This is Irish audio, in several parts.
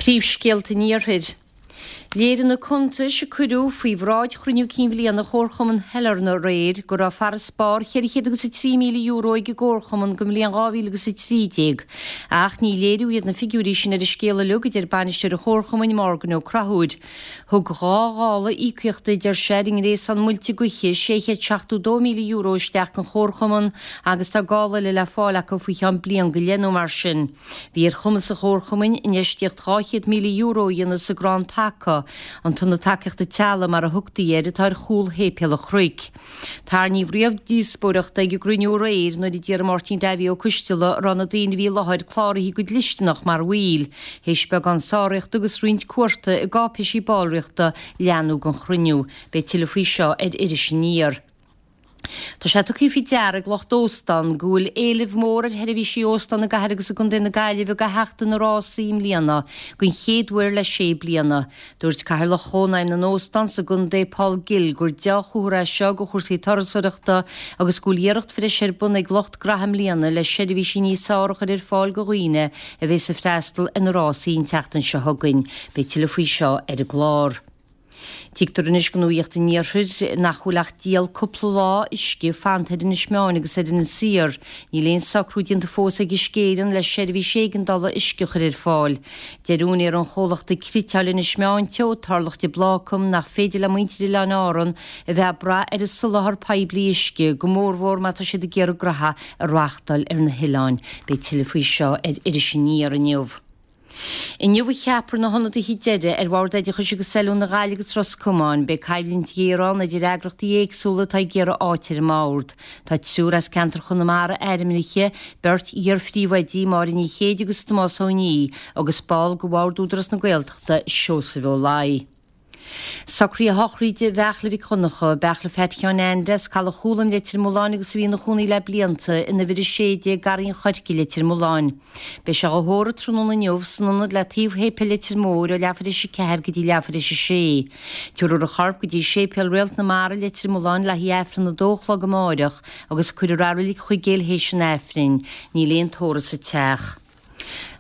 Príomhscéalta an Iarthair. Léirigh na cuntais a cuireadh faoi bhráid chruinniú cinn bhliana Chomharchumann Shailearna aréir go raibh farasbarr €403,000 ag an gComharchumann don bhliain 2013. Ach ní léiriú iad na figiúirí sin ar an scéal uilig, a deir bainisteoir an Chomharchumainn, Morgan Ó Conchúir. Thug dhá ghála íocaíochta, a deir sé, ar an ngréasán muilte gaoithe €672,000 isteach don Chomharchumann agus tá gála eile le fáil acu faoi cheann bliain go leith nó mar sin. Bhí ar chumas an Chomharchumainn infheistíocht €200,000 a dhéanamh sa gcrann taca, an tIonad Tacaíochta Teaghlaigh mar a thugtaí air, atá ar chúl Shéipéal an Chnoic. Tarraingíodh riamh díospóireachta ag an gcruinniú aréir nuair a d'iarr Máirtín Davy Ó Coisteala an raibh na daoine a bhí i láthair cláraithe go dlisteanach mar bhaill. Théis beagán sáraíochta agus roinnt cuarta i gcáipéisí ballraíochta leanadh den chruinniú. Beidh tuilleadh faoi seo ar Iris Aniar. Tá sé tugtha faoi deara ag lucht óstán go bhfuil éileamh mór ar sheirbhísí óstán i gcathair agus i gcontae na Gaillimhe do sheachtain na rásaí i mbliana den chéad uair le sé bliana. Dúirt Cathaoirleach Chónaidhm na nÓstán sa gcontae Paul Gill gur deá-chomhartha é seo do chúrsaí turasóireachta agus go bhfuil iarracht bhreise ar bun ag lucht graithe i mbliana le seirbhísí níos fearr a chur ar fáil do dhaoine a bhéas ag freastal ar na rásaí an tseachtain seo chugainn. Beidh tuilleadh faoi seo ar an gclár. Tuigtear anois do Nuacht an Iarthair nach bhfuil ach díol cúpla lá uisce fanta ar Inis Meáin agus ar Inis Oírr. Níl aon socrú déanta fós ag Uisce Éireann le seirbhís éigeandála uisce a chur ar fáil. Deir úinéir an chomhlachta Cniotáil Inis Meáin Teo, Tarlach de Blácam, nach féidir le muintir Oileáin Árann a bheith ag brath ar an soláthar poiblí uisce, go mórmhór má tá siad ag iarraidh graithe a reáchtáil ar na hoileáin. Beidh tuilleadh faoi seo ar Iris Aniar inniu. Inniu a cheapfar na hionadaithe deiridh ar Bhord Oideachais agus Oiliúna Ghaillimh agus Ros Comáin. Beidh coimhlint ghéar ann idir eagraíochtaí éagsúla atá ag iarraidh áit ar an mbord. Tá triúr as ceantar Chonamara ainmnithe, beirt iar-phríomhoidí, Máire Ní Chéide agus Tomás Ó Nia, agus ball de Bhord Údarás na Gaeltachta, Seosamh Ó Laoi. Socruithe sochraide Bheachla Mhic Dhonncha, Beachla Pheait Sheáin Ainde as Caladh Chúlaim, Leitir Mealláin agus a bhí ina chónaí le blianta in uimhir 16, Garraí an Choirce, Leitir Mealláin. Beidh sé dhá thórramh tráthnóna inniu san ionad le taobh Shéipéal Leitir Móir ó leathuair théis 4 go dtí leathuair théis 6. Tabharfar a chorp go dtí Séipéal Réalt na Mara, Leitir Mealláin le haghaidh Aifreann a dó a chlog amáireach agus cuirfear a reilig chuig théis an Aifrinn. Níl aon tórramh sa teach.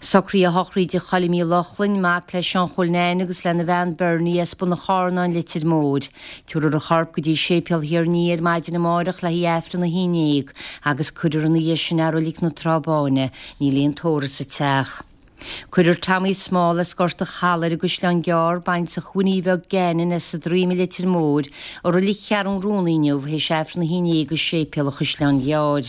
Socruithe sochraide Choilm Uí Lochlainn, mac le Seán Chóil Neain agus lena bhean Bernie as Bun an Charnáin, Leitir Móir. Tabharfar a chorp go dtí Séipéal Thír an Fhia ar maidin amárach le haghaidh Aifreann a haon dhéag agus cuirfear ina dhiaidh sin é i Reilig na Trá Báine. Níl aon tórramh sa teach. Cuirfear Tommy Small as Gort a' Chalaidh ar an gCaisleán Gearr, baintreach Winnie Bheag Gannon as an Droim i Leitir Móir, i Reilig Cheathrún Rúnaí inniu théis Aifreann a haon dhéag i Séipéal an Chaisleáin Ghearr.